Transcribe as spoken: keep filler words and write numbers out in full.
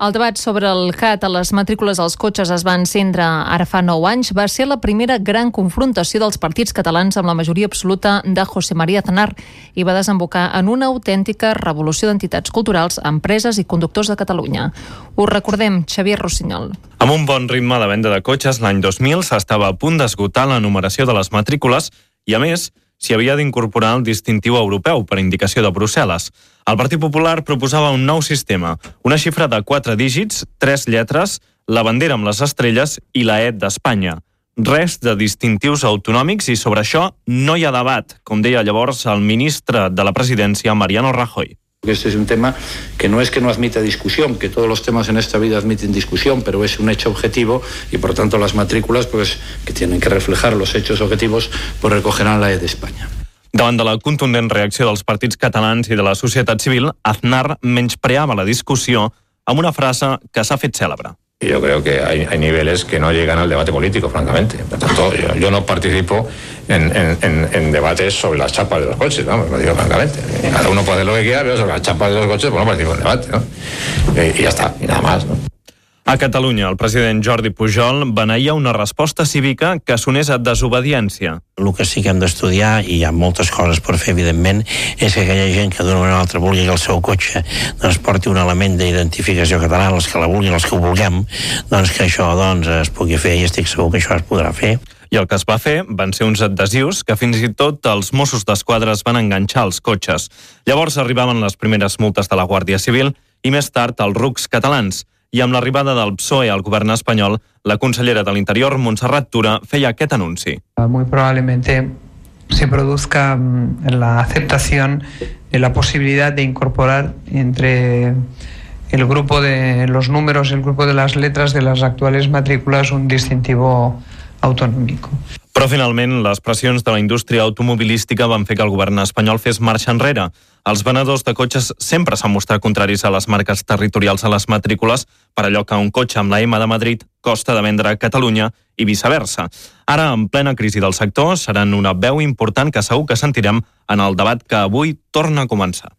El debat sobre el C A T a les matrícules dels cotxes es va encendre ara fa nou anys. Va ser la primera gran confrontació dels partits catalans amb la majoria absoluta de José María Aznar i va desembocar en una autèntica revolució d'entitats culturals, empreses i conductors de Catalunya. Us recordem, Xavier Rossinyol. Amb un bon ritme de venda de cotxes, l'any dos mil s'estava a punt d'esgotar la numeració de les matrícules i, a més, s'hi havia d'incorporar el distintiu europeu per indicació de Brussel·les. El Partit Popular proposava un nou sistema, una xifra de quatre dígits, tres lletres, la bandera amb les estrelles i la E d'Espanya. Res de distintius autonòmics i sobre això no hi ha debat, com deia llavors el ministre de la Presidència, Mariano Rajoy. Este es un tema que no es que no admita discusión, que todos los temas en esta vida admiten discusión, pero es un hecho objetivo y por tanto las matrículas, pues, que tienen que reflejar los hechos objetivos, pues recogerán la E de España. Davant de la contundent reacció dels partits catalans i de la societat civil, Aznar menyspreava la discussió amb una frase que s'ha fet cèlebre. Yo creo que hay, hay niveles que no llegan al debate político, francamente. Por tanto, yo, yo no participo en, en, en, en debates sobre las chapas de los coches, ¿no? Lo digo francamente. Cada uno puede hacer lo que quiera, pero sobre las chapas de los coches, pues no participo en debate, ¿no? Eh, y ya está, y nada más, ¿no? A Catalunya, el president Jordi Pujol beneïa una resposta cívica que sonés a desobediència. El que sí que hem d'estudiar, i hi ha moltes coses per fer, evidentment, és que aquella gent que d'una manera o altra vulgui que el seu cotxe doncs, porti un element d'identificació català, els que la vulguin, els que ho vulguem, doncs que això doncs, es pugui fer, i estic segur que això es podrà fer. I el que es va fer van ser uns adhesius que fins i tot els Mossos d'Esquadra es van enganxar als cotxes. Llavors arribaven les primeres multes de la Guàrdia Civil i més tard els rucs catalans. I amb l'arribada del P S O E al govern espanyol, la consellera de l'Interior, Montserrat Tura, feia aquest anunci. Muy probablemente se produzca la aceptación de la posibilidad de incorporar entre el grupo de los números, el grupo de las letras de las actuales matrículas un distintivo autonómico. Però finalment les pressions de la indústria automobilística van fer que el govern espanyol fes marxa enrere. Els venedors de cotxes sempre s'han mostrat contraris a les marques territorials a les matrícules, per allò que un cotxe amb la M de Madrid costa de vendre a Catalunya i viceversa. Ara, en plena crisi del sector, seran una veu important que segur que sentirem en el debat que avui torna a començar.